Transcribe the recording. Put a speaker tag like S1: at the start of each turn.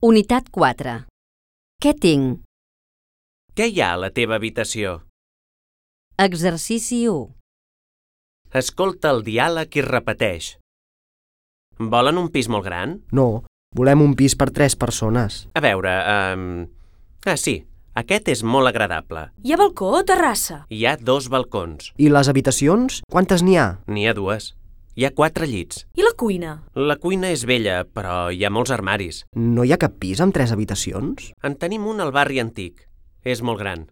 S1: Unitat 4. Què tinc?
S2: Què hi ha a la teva habitació?
S1: Exercici 1.
S2: Escolta el diàleg i repeteix. Volen un pis molt gran?
S3: No, volem un pis per 3 persones.
S2: A veure, sí, aquest és molt agradable.
S4: Hi ha balcó o terrassa?
S2: Hi ha 2 balcons.
S3: I les habitacions? Quantes n'hi ha?
S2: N'hi ha 2. Hi ha 4 llits.
S4: I la cuina?
S2: La cuina és vella, però hi ha molts armaris.
S3: No hi ha cap pis amb 3 habitacions?
S2: En tenim un al barri antic. És molt gran.